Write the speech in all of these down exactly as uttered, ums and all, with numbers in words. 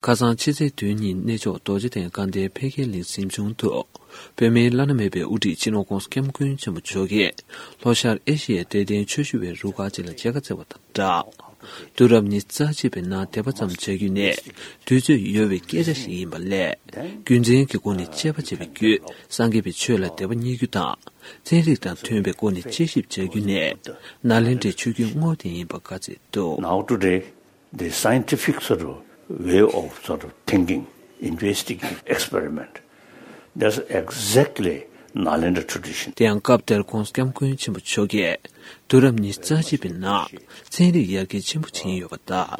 ཁ་སང་ཕྱི་ཚེས་བདུན་ཉིན་གནས་མཆོག་རྡོ་རྗེ་གདན་དགའ་ལྡན་འཕེལ་རྒྱས་གླིང་གཟིམ་ཆུང་དུ། བོད་མིའི་བླ་ན་མེད་པའི་དབུ་ཁྲིད་སྤྱི་ནོར་༧གོང་ས་༧སྐྱབས་མགོན་ཆེན་པོ་མཆོག་གིས་ལྷོ་ཤར་ཨེ་ཤི་ཡའི་དད་ལྡན་ཆོས་ཞུ་བའི་རུ་ཁག་ཅིག་ལ་མཇལ་ཁ་བསྩལ་བ་དང་སྦྲགས། དུས་རབས་ཉི་ཤུ་རྩ་གཅིག་པའི་ནང་དད་པ་ཙམ་བྱ་རྒྱུ་ནི་དུས་ཚོད་ཡོལ་བའི་སྐད་ཆ་ཞིག་ཡིན་པ་ལས། རྒྱུ་མཚན་གྱི་སྒོ་ནས་དཔྱད་པ་བྱས་པའི་བརྒྱུད་སངས་རྒྱས་པའི་ཆོས་ལ་དད་པ་རྙེད་རྒྱུ་དང་། ཚན་རིག་དང་མཐུན་པའི་སྒོ་ནས་དཔྱད་ཞིབ་བྱ་རྒྱུ་ནི་ནཱ་ལེནྡྲའི་ཆོས་བརྒྱུད་དངོས་དེ་ཡིན་པ་བཀའ་སྩལ་འདུག། Now today, the scientific sort of way of sort of thinking, investigate, experiment, that's exactly Nalanda tradition. དེ་ཡང་སྐབས་དེར་༧གོང་ས་༧སྐྱབས་མགོན་ཆེན་པོ་མཆོག་གིས་དུས་རབས་ཉི་ཤུ་རྩ་གཅིག་པའི་ནང་ཚན་རིག་ཡར་རྒྱས་ཆེན་པོ་ཕྱིན་ཡོད་པ་དང་།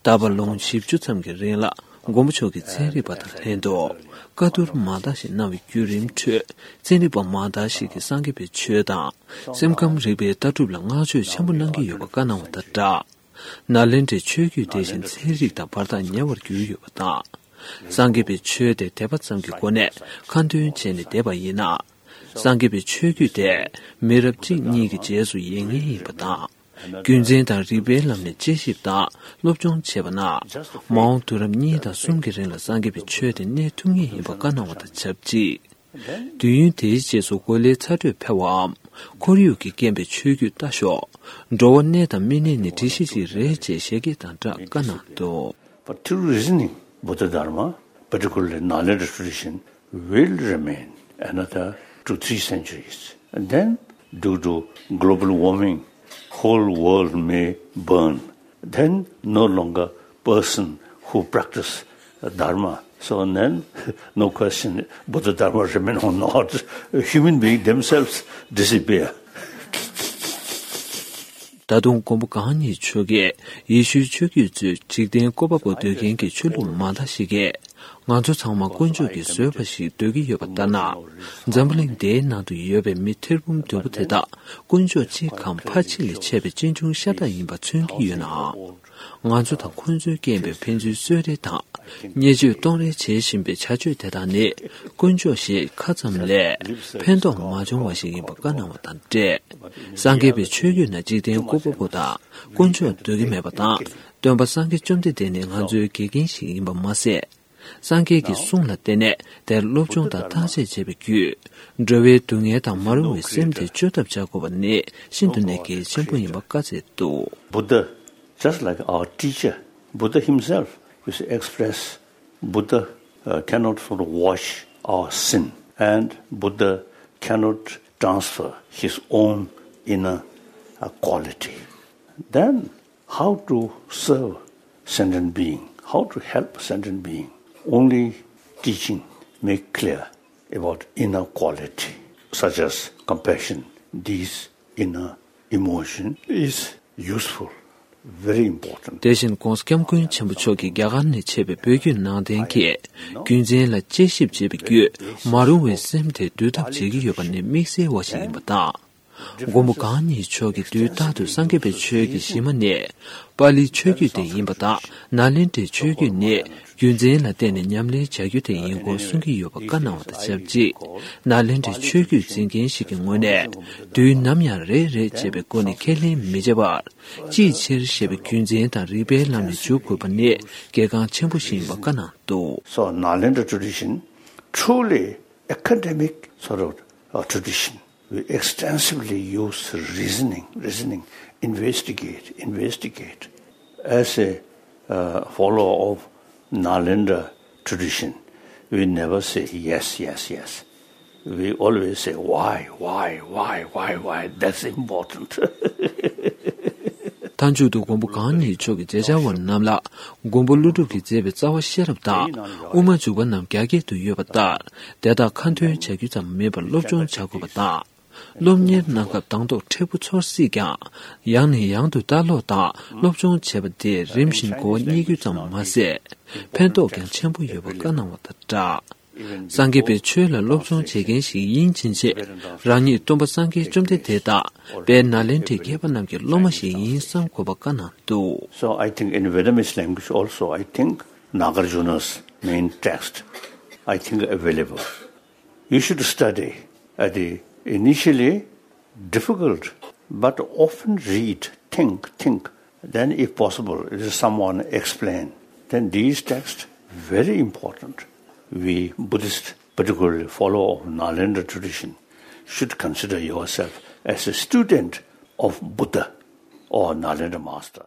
ད་བར་ལོ་ངོ་བཞི་བཅུ་ཙམ་གྱི་རིང་ལ་མགོན་པོ་མཆོག་གིས་ཚན་རིག་པ་དང་ལྷན་དུ་བཀའ་བསྡུར་མང་དག་ཞིག་གནང་བའི་བརྒྱུད་རིམ་ཁྲོད་ཚན་རིག་པ་མང་དག་ཞིག་གིས་སངས་རྒྱས་པའི་ཆོས་དང་སེམས་ཁམས་རིག་པའི་ལྟ་གྲུབ་ལ་བསྔགས་བརྗོད་ཆེན་པོ་གནང་གི་ཡོད་པ་བཀའ་གནང་བ་དང་སྦྲགས། ནཱ་ལེནྡྲའི་ཆོས་བརྒྱུད་དེ་བཞིན་ཚན་རིག་དང་བར་ཐག་ཉེ་བར་གྱུར་ཡོད་པ་དང་། སངས་རྒྱས་པའི་ཆོས་དེ་དད་པ་ཙམ་གྱི་སྒོ་ནས་ཁ་འདོན་བྱས་ནས་བསྡད་པ་ཡིན་ན། སངས་རྒྱས་པའི་ཆོས་བརྒྱུད་དེ་མི་རབས་གཅིག་གཉིས་ཀྱི་རྗེས་སུ་ཡི་ངེས་ཡིན་པ་དང་། རྒྱུ་མཚན་དང་རིགས་པའི་ལམ་ནས་དཔྱད་ཞིབ་དང་སློབ་སྦྱོང་བྱས་པ་ན། མ་འོངས་དུས་རབས་གཉིས་དང་གསུམ་གྱི་རིང་ལ་སངས་རྒྱས་པའི་ཆོས་དེ་གནས་ཐུབ་ངེས་ཡིན་པ་བཀའ་གནང་བ་དང་ཆབས་ཅིག། དུས་ཡུན་དེའི་རྗེས་སུ་གོ་ལའི་ཚ་དྲོད་འཕེལ་བའམ། ཁོར་ཡུག་གིས་རྐྱེན་པས་ཆོས་བརྒྱུད་ལྟ་ཞོག། འགྲོ་བ་གནས་དང་མི་གནས་ནི་སྒྲིག་གཞི་ཞིག་རེད་ཅེས་བཤད་སྐད་དང་སྦྲགས་བཀའ་གནང་འདུག། But through reasoning, Buddha Dharma, particularly Nalanda tradition, will remain another two, three centuries. And then, due to global warming, whole world may burn. Then, no longer person who practice Dharma. So then, no question, Buddha Dharma remain or not. Human being themselves disappear. ད་དུང་མགོན་པོ་གང་ཉིད་མཆོག་གིས་ཡེ་ཤུའི་ཆོས་བརྒྱུད་ཚོས་འཇིག་རྟེན་བཀོད་པ་པོ་འདོད་མཁན་གྱི་ཆོས་ལུགས་མང་དག་ཞིག་གིས་ང་ཚོ་ཚང་མ་དཀོན་མཆོག་གིས་བཟོས་པ་ཞིག་འདོད་ཀྱི་ཡོད་པ་ལྟར་ན། འཛམ་བུ་གླིང་འདིའི་ནང་དུ་ཡོད་པའི་མི་ཐེར་འབུམ་བདུན་པོ་དེ་དག་དཀོན་མཆོག་གཅིག་གམ་ཕལ་ཆེར་ལས་ཆེ་བའི་གཅེན་གཅུང་ཤ་སྟག་ཡིན་པ་མཚོན་གྱི་ཡོད་ནའང་། ང་ཚོ་དང་ཁོང་ཚོའི་རྐྱེན་པས་ཕན་ཚུན་གསོད་རེས་དང་བརྙས་བཅོས་གཏོང་རེས་བྱེད་བཞིན་པའི་བྱ་སྤྱོད་དེ་དག་ནི་དཀོན་མཆོག་ཞེས་ཁ་ཙམ་ལས་ཕན་ཐོགས་མ་བྱུང་བ་ཞིག་ཡིན་པ་བཀའ་གནང་བ་དང་འབྲེལ། སངས་རྒྱས་པའི་ཆོས་བརྒྱུད་ནང་འཇིག་རྟེན་བཀོད་པ་པོ་དང་དཀོན་མཆོག་འདོད་ཀྱི་མེད་པ་དང་། སྟོན་པ་སངས་རྒྱས་བཅོམ་ལྡན་འདས་ནི་ང་ཚོའི་དགེ་རྒན་ཞིག་ཡིན་པ་མ་ཟད། སངས་རྒྱས་ཀྱི་གསུང་ལ་བརྟེན་ནས་དེར་སློབ་སྦྱོང་དང་བརྟག་དཔྱད་བྱས་པའི་བརྒྱུད། འགྲོ་བའི་སྡུག་བསྔལ་དང་མ་རུངས་པའི་སེམས་དེ་བཅོས་ཐབས་བྱ་དགོས་པ་ནི་ཤིན་ཏུ་ནས་གལ་ཆེན་པོ་ཡིན་པ་བཀའ་སྩལ་འདུག། Buddha, just like our teacher, Buddha himself is express, Buddha uh, cannot sort of wash our sin, and Buddha cannot transfer his own inner uh, quality. Then, how to serve sentient being? How to help sentient being? Only teaching make clear about inner quality, such as compassion. These inner emotion is useful, very important. དེ་བཞིན་༧གོང་ས་༧སྐྱབས་མགོན་ཆེན་པོ་མཆོག་གིས་རྒྱ་གར་ནས་མཆེད་པའི་བོད་བརྒྱུད་ནང་བསྟན་གྱི་རྒྱུ་མཚན་ལ་དཔྱད་ཞིབ་བྱས་པའི་བརྒྱུད། མ་རུངས་པའི་སེམས་དེ་འདུལ་ཐབས་བྱེད་ཀྱི་ཡོད་པ་ནི་དམིགས་བསལ་བ་ཞིག་ཡིན་པ་དང་། མགོན་པོ་གང་ཉིད་མཆོག་གིས་དུས་རྟག་ཏུ་སངས་རྒྱས་པའི་ཆོས་ཀྱི་གཞི་མ་ནི་པཱ་ལིའི་ཆོས་བརྒྱུད་དེ་ཡིན་པ་དང་། ནཱ་ལེནྡྲའི་ཆོས་བརྒྱུད་ནི་རྒྱུ་མཚན་ལ་བརྟེན་ནས་ཉམས་ལེན་བྱ་རྒྱུ་དེ་ཡིན་སྐོར་གསུང་གི་ཡོད་པ་བཀའ་གནང་བ་དང་ཆབས་ཅིག། ནཱ་ལེནྡྲའི་ཆོས་བརྒྱུད་འཛིན་མཁན་ཞིག་གི་ངོས་ནས་དུས་ནམ་ཡང་རེད་རེད་ཅེས་པའི་སྒོ་ནས་ཁས་ལེན་མི་བྱེད་པར། ཅིའི་ཕྱིར་ཞེས་པའི་རྒྱུ་མཚན་དང་རིགས་པའི་ལམ་ནས་འཇུག་དགོས་པ་ནི་གལ་འགངས་ཆེན་པོ་ཞིག་ཡིན་པ་བཀའ་གནང་འདུག། So, Nalanda tradition, truly academic sort of uh, tradition. We extensively use reasoning, reasoning, investigate, investigate. As a uh, follower of Nalanda tradition, we never say yes, yes, yes. We always say why, why, why, why, why. That's important. མཐའ་མཇུག་ཏུ་མགོན་པོ་གང་ཉིད་མཆོག་གིས་མཛད་བྱ་བ་རྣམས་ལ་མགོན་པོ་ཀླུ་སྒྲུབ་ཀྱིས་མཛད་པའི་རྩ་བ་ཤེས་རབ་དང་དབུ་མ་འཇུག་པ་རྣམས་རྒྱ་སྐད་དུ་ཡོད་པ་ལྟར། དེ་དག་ཁ་འདོན་བྱ་རྒྱུ་ཙམ་མིན་པར་སློབ་སྦྱོང་བྱ་དགོས་པ་དང་། སློབ་གཉེར་གནང་སྐབས་དང་ཐོག་མཁྲེགས་པོ་ཚོར་སྲིད་ཀྱང་། ཡང་ནས་ཡང་དུ་ལྟ་ཀློག་དང་སློབ་སྦྱོང་བྱེད་པ་དེས་རིམ་བཞིན་གོ་བ་རྙེད་རྒྱུ་ཙམ་མ་ཟད། ཕན་ཐོགས་ཀྱང་ཆེན་པོ་ཡོད་པ་བཀའ་གནང་བ་དང་སྦྲགས། སངས་རྒྱས་པའི་ཆོས་ལ་སློབ་སྦྱོང་བྱེད་མཁན་ཞིག་ཡིན་ཕྱིན་ཆད། རང་ཉིད་སྟོན་པ་སངས་རྒྱས་བཅོམ་ལྡན་འདས་དང་དཔལ་ནཱ་ལེནྡྲའི་མཁས་པ་རྣམས་ཀྱི་སློབ་མ་ཞིག་ཡིན་བསམ་དགོས་པ་བཀའ་གནང་འདུག། So I think in Vietnamese language also, I think Nagarjuna's main text, I think available. You should study at the initially difficult, but often read, think, think. Then, if possible, it is someone explain. Then these texts very important. We Buddhists, particularly follower of Nalanda tradition, should consider yourself as a student of Buddha or Nalanda master.